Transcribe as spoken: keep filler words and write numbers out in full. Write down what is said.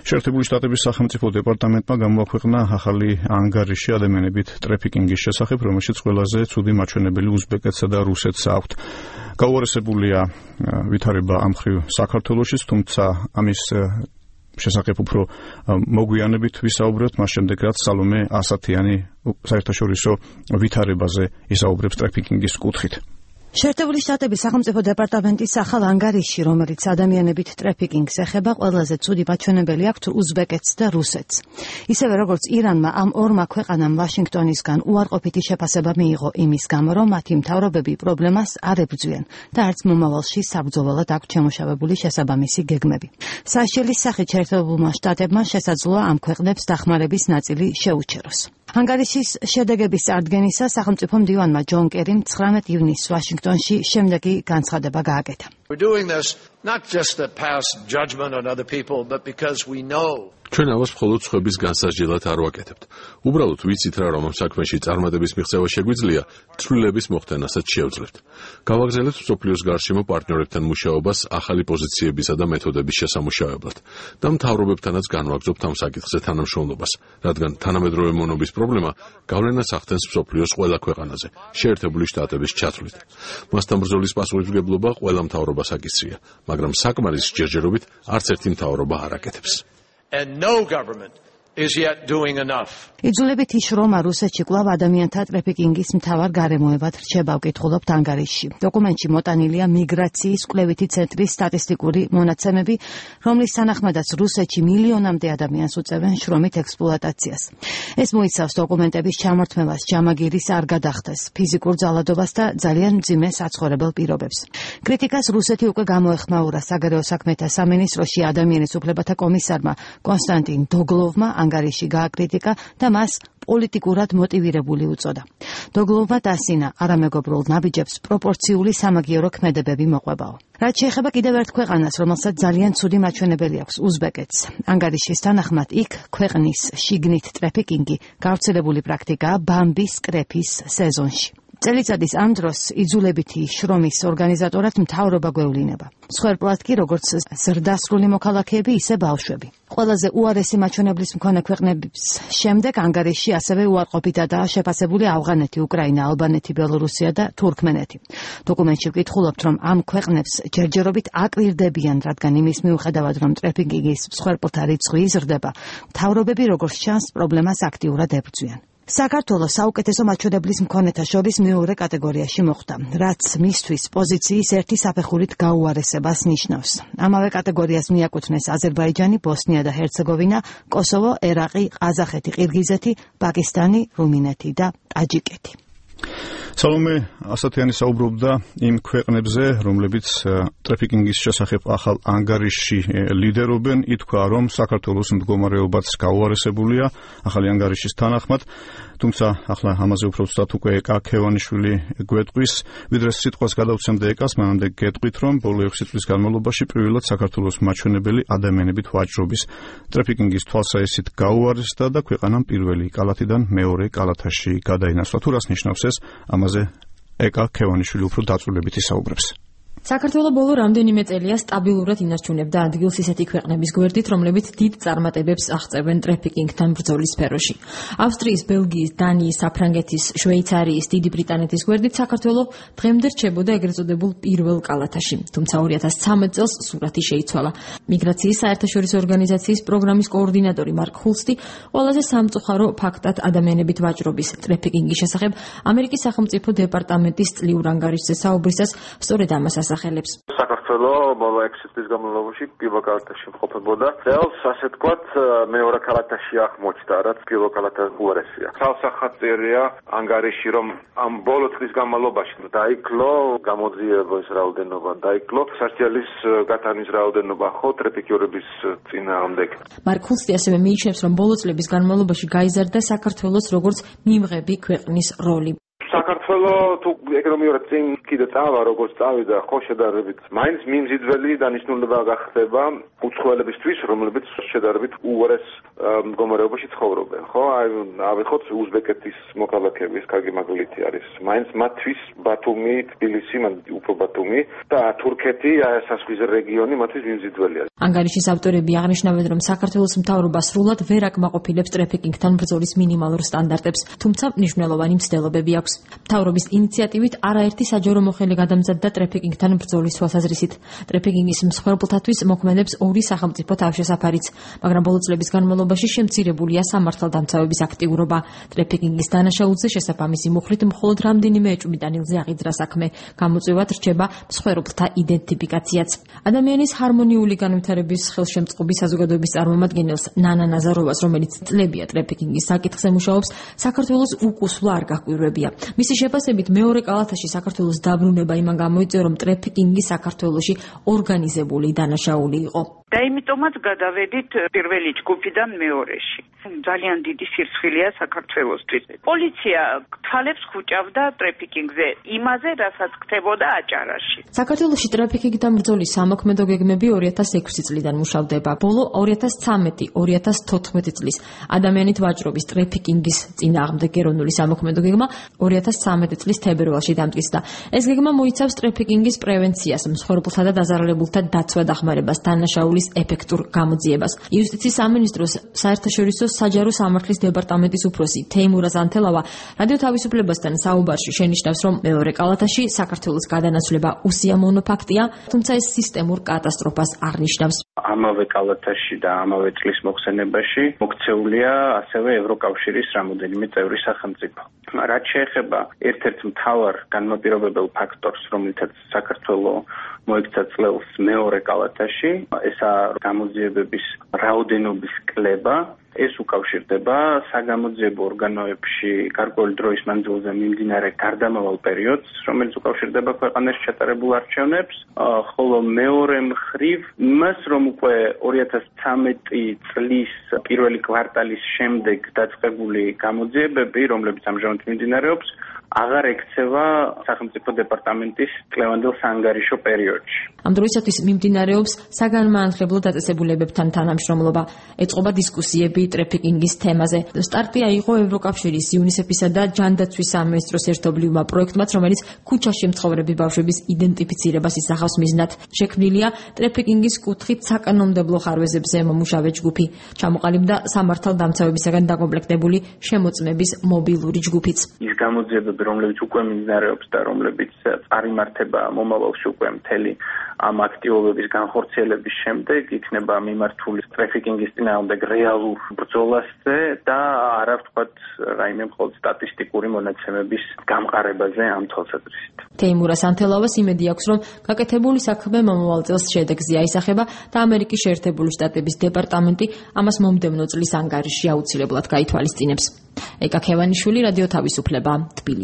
შეერთებული შტატების სახელმწიფო დეპარტამენტმა გამოაქვეყნა ახალი ანგარიში ადამიანებით ტრაფიკინგის შესახებ, რომელშიც ყველაზე ცუდი მაჩვენებელი უზბეკეთსა და რუსეთს აქვთ. გაუარესებულია ვითარება ამ მხრივ საქართველოშიც, თუმცა ამის შესახებ უფრო მოგვიანებით ვისაუბრებთ, მას შემდეგ რაც სალომე ასათიანი საერთაშორისო ვითარებაზე ისაუბრებს ტრაფიკინგის კუთხით. შეერთებული შტატების სახელმწიფო დეპარტამენტის ახალ ანგარიში, რომელიც ადამიანებით ტრაფიკინგს ეხება, ყველაზე ცუდი მაჩვენებელი აქვთ უზბეკეთს და რუსეთს. ისევე როგორც ირანმა ამ ორმა ქვეყანამ ვაშინგტონისგან უარყოფითი შეფასება მიიღო იმის გამო, რომ მათი მთავრობები პრობლემას არ ებრძვიან და არც მომავალში საბრძოლველად აქვთ შემუშავებული შესაბამისი გეგმები. საშელის სახით შეერთებულმა შტატებმა შესაძლოა ამ ქვეყნებს დახმარების ნაწილი შეუჩეროს. ანგარიშის შედეგების წარდგენისას სახელმწიფო მდივანმა ჯონ კერიმ ცხრამეტ ივნისს ვაშინგტონში შემდეგი განცხადება გააკეთა. We're doing this not just to pass judgment on other people, but because we know ჩვენ ამას მხოლოდ სხვების განსაზღვრად არ ვაკეთებთ. უბრალოდ ვიცით რა, რომ ამ საქმეში წარმატების მიღწევა შეგვიძლია, ცვლილების მოხდენასაც შევძლებთ. გავაგრძელებთ მსოფლიოს გარშემო პარტნიორებთან მუშაობას ახალი პოზიციებისა და მეთოდების შესამუშავებლად და მთავრობებთანაც განვაგრძობთ ამ საკითხზე თანამშრომლობას, რადგან თანამედროვე მონობის პრობლემა გავლენას ახდენს მსოფლიოს ყველა ქვეყანაზე, შეერთებული შტატების ჩათვლით. მასთან ბრძოლის პასუხისმგებლობა ყველა მთავრობას აკისრია, მაგრამ საკმარის ჯერჯერობით არც ერთი მთავრობა არ აკეთებს. and no government is yet doing enough. იძულებით იშრომა რუსეთში კვლავ ადამიანთა ტრაფიკინგის მთავარ გარემოებად რჩება, ვკითხულობთ ანგარიშში. დოკუმენტში მოტანილია მიგრაციის კვლევითი ცენტრის სტატისტიკური მონაცემები, რომლის თანახმადაც რუსეთში მილიონამდე ადამიანს უწევენ შრომით ექსპლუატაციას. ეს მოიცავს დოკუმენტების ჩამორთმევას, ჯამაგირის არ გადახდეს, ფიზიკურ ძალადობას და ძალიან მძიმე საცხოვრებელ პირობებს. კრიტიკას რუსეთი უკვე გამოეხმაურა საგარეო საქმეთა სამინისტროში ადამიანის უფლებათა კომისარმა კონსტანტინ დოგლოვმა ანგარიში გააკრიტიკა და მას პოლიტიკურად მოტივირებული უწოდა. დოგლოვმა დასინა არამეგობრულ ნაბიჯებს პროპორციული სამაგიერო ქმედებები მოყვებაო. რაც შეეხება კიდევ ერთ ქვეყანას, რომელსაც ძალიან ცუდი მაჩვენებელი აქვს, უზბეკეთს. ანგარიშის თანახმად იქ ქვეყნის შიგნით ტრაფიკინგი გავრცელებული პრაქტიკაა ბამბის კრეფის სეზონში. წელიწადის ამ დროს იძულებითი შრომის ორგანიზატორად მთავრობა გვევლინება. მსხვერპლად კი როგორც ზრდასრული მოქალაქეები, ისე ბავშვები. ყველაზე უარესი მაჩვენებლის მქონე ქვეყნების შემდეგ ანგარიში ასევე უარყოფითადაა შეფასებული ავღანეთი, უკრაინა, ალბანეთი, ბელორუსია და თურქმენეთი. დოკუმენტში ვკითხულობთ, რომ ამ ქვეყნებს ჯერჯერობით აკვირდებიან, რადგან იმის მიუხედავად, რომ ტრაფიკინგის მსხვერპლთა რიცხვი იზრდება, მთავრობები როგორც ჩანს პრობლემას აქტიურად ებრძვიან. საქართველოს საუკეთესო მაჩვენებლის მქონეთა შორის მეორე კატეგორიაში მოხვდა, რაც მისთვის პოზიციის ერთი საფეხურით გაუარესებას ნიშნავს. ამავე კატეგორიას მიაკუთვნეს აზერბაიჯანი, ბოსნია და ჰერცეგოვინა, კოსოვო, ერაყი, ყაზახეთი, ყირგიზეთი, პაკისტანი, რუმინეთი და ტაჯიკეთი. სალომე ასათიანი საუბრობდა იმ ქვეყნებზე, რომლებიც ტრაფიკინგის შესახებ ახალ ანგარიშში ლიდერობენ. ითქვა, რომ საქართველოს მდგომარეობაც გაუარესებულია ახალი ანგარიშის თანახმად, თუმცა ახლა ამაზე უფრო ვსვათ უკვე ეკა ქევანიშვილი გვეტყვის, ვიდრე სიტყვას გადავცემდა ეკას, მანამდე გეტყვით, რომ ბოლო ექვსი წლის განმავლობაში პირველად საქართველოს მაჩვენებელი ადამიანებით ვაჭრობის ტრაფიკინგის თვალსაჩინით გაუარესდა და ქვეყანამ პირველი კალათიდან მეორე კალათაში გადაინაცვლა. თუ რას ნიშნავს ეს? ამაზე ეკა ქევანიშვილი უფრო დაწვრილებით ისაუბრებს. საქართველო ბოლო რამდენიმე წელია სტაბილურად ინარჩუნებდა ადგილს ისეთი ქვეყნების გვერდით, რომლებიც დიდ წარმატებებს აღწევენ ტრაფიკინგთან ბრძოლის სფეროში. ავსტრიის, ბელგიის, დანიის, საფრანგეთის, შვეიცარიის, დიდი ბრიტანეთის გვერდით საქართველო დღემდე რჩებოდა ეგრეთ წოდებულ პირველ კალათაში. თუმცა ორი ათას ცხრამეტ წელს სურათი შეიცვალა. მიგრაციის საერთაშორისო ორგანიზაციის პროგრამის კოორდინატორი მარკ ხულსტი ყველაზე სამწუხარო ფაქტად ადამიანებით ვაჭრობის ტრაფიკინგის შესახებ ამერიკის სახელმწიფო დეპარტამენტის წლიურ ანგარიშზე საუბრისას სწორედ ამას სახელებს. საქართველო ბოლო ექვსი წლის განმავლობაში პირველ კალათაში მყოფებოდა. წელს ასე თქვათ მეორე კალათაში აღმოჩნდა, რაც პირველ კალათთან უარესია. თავსახატწერია ანგარიში, რომ ამ ბოლო წლის განმავლობაში დაიკლო გამოძიების რაოდენობა, დაიკლო სასჯელის გატანის რაოდენობა ხო ტრაფიკიორების წინააღმდეგ. მარკ ხულსტი ასევე მიიჩნევს, რომ ბოლო წლების განმავლობაში გაიზარდა საქართველოს როგორც მიმღები ქვეყნის როლი. საქართველო თუ ეკონომიურად წინ კიდე წავა, როგორც წავიდა, ხო შედარებით მაინც მიმზიდველი დანიშნულება გახდება უცხოელებისთვის, რომლებიც შედარებით უარეს მდგომარეობაში ცხოვრობენ, ხო? აი, ავიღოთ უზბეკეთის მოქალაქეების კარგი მაგალითი არის. მაინც მათთვის ბათუმი, თბილისი, უფრო ბათუმი და თურქეთი, აი ეს საზღვრის რეგიონი მათთვის მიმზიდველია. ანგარიშის ავტორები აღნიშნავენ, რომ საქართველოს მთავრობა სრულად ვერ აკმაყოფილებს ტრეფიკინგთან ბრძოლის მინიმალურ სტანდარტებს, თუმცა მნიშვნელოვანი მცდელობები აქვს. მთავრობის ინიციატივით არაერთი საჯარო მოხელი გადამზადდა ტრეფიკინგთან ბრძოლის თვალსაზრისით. ტრეფიკინგის მსხვერპლთათვის მოქმედებს ორი სახელმწიფო თავშესაფარიც, მაგრამ ბოლო წლების განმავლობაში შემცირებულია სამართალდამცავების აქტიურობა. ტრეფიკინგის დანაშაულზე შესაბამისი მუხლით მხოლოდ რამდენიმე ეჭვმიტანილზე აღიძრა საქმე, გამოწვევად რჩება მსხვერპლთა იდენტიფიკაციაც. ადამიანის ჰარმონიული განვითარების ხელშემწყობის საზოგადოების წარმომადგენელს ნანა ნაზაროვას, რომელიც წლებია ტრეფიკინგის საკითხზე მუშაობს, საქართველოს უკუსვლა არ გაჰკვირვებია. მისი შეფასებით, მეორე კალათაში საქართველოს დაბრუნება იმან გამოიწვია, რომ ტრეფიკინგი საქართველოში ორგანიზებული დანაშაული იყო. და იმიტომაც გადავედით პირველი ჯგუფიდან მეორეში. ძალიან დიდი სირცხილეა საქართველოსთვის. პოლიცია თვალებს ხუჭავდა ტრეფიკინგზე, იმაზე, რასაც ხდებოდა აჭარაში. საქართველოში ტრეფიკინგთან ბრძოლის სამოქმედო გეგმები ორი ათას ექვსი წლიდან მუშავდება. ბოლო ორი ათას ცხრამეტი ორი ათას თოთხმეტი წლის ადამიანით ვაჭრობის ტრეფიკინგის წინააღმდეგ ეროვნული სამოქმედო გეგმა ორი ათას ცხრამეტი წლის თებერვალში დამტკიცდა. ეს გეგმა მოიცავს ტრეფიკინგის პრევენციას, მსხვერპლთა და დაზარალებულთა დაცვა-დახმარებას, დანაშაულის ეფექტურ გამოძიებას. იუსტიციის სამინისტროს საერთაშორისო საჯარო სამართლის დეპარტამენტის უფროსი თეიმურაზ ანთელავა რადიო თავისუფლებასთან საუბარში შენიშნავს, რომ მეორე კალათაში საქართველოს გადანაცვლება უსიამოვნო ფაქტია, თუმცა ეს სისტემურ კატასტროფას არ ნიშნავს. ამავე კალათაში და ამავე წლის მოხსენებაში მოქცეულია ასევე ევროკავშირის რამოდენიმე წევრი სახელმწიფო. რაც შეეხება ერთ-ერთ მთავარ განმაპირობებელ ფაქტორს, რომლითაც საქართველოს მოექცა წლებს მეორე კალათაში, ესაა გამოძიებების რაოდენობის კლება. ეს უკავშირდება საგამოძიებო ორგანოებში გარკვეული დროის მანძილზე მიმდინარე გარდამავალ პერიოდს, რომელიც უკავშირდება ქვეყანაში ჩატარებულ არჩევნებს, ხოლო მეორე მხრივ იმას, რომ უკვე ორი ათას ცხრამეტი წლის პირველი კვარტალის შემდეგ დაწყებული გამოძიებები, რომლებიც ამჟამად მიმდინარეობს, აღარ ექცევა სახელმწიფო დეპარტამენტის წლევანდელ საანგარიშო პერიოდში. ამ დროისათვის მიმდინარეობს საგანმანათლებლო დაწესებულებებთან თანამშრომლობა, ეწყობა დისკუსიები ტრეფიკინგის თემაზე. სტარტი აიღო ევროკავშირის, იუნისეფისა და ჯანდაცვის სამინისტროს ერთობლივმა პროექტმაც, რომელიც ქუჩაში მცხოვრები ბავშვების იდენტიფიცირებას ისახავს მიზნად. შექმნილია ტრეფიკინგის კუთხით საკანონმდებლო ხარვეზებზე მომუშავე ჯგუფი. ჩამოყალიბდა სამართალდამცავებისაგან დაკომპლექტებული შემოწმების მობილური ჯგუფიც. ის გამოძიებები, რომლებიც უკვე მიმდინარეობს და რომლებიც წარიმართება მომავალში უკვე მთელი ამ აქტივობების განხორციელების შემდეგ იქნება მიმართული ტრეფიკინგის წინააღმდეგ რეალურ ბრძოლასზე და არა ვთქვათ რაიმე მხოლოდ სტატისტიკური მონაცემების გამყარებაზე ამ თვალსაზრისით. თეიმურაზ ანთელავას იმედი აქვს, რომ გაკეთებული საქმე მომავალ წელს შედეგზე აისახება და ამერიკის შეერთებული შტატების დეპარტამენტი ამას მომდევნო წლის ანგარიშში აუცილებლად გაითვალისწინებს. ეკა ქევანიშვილი, რადიო თავისუფლება, თბილისი.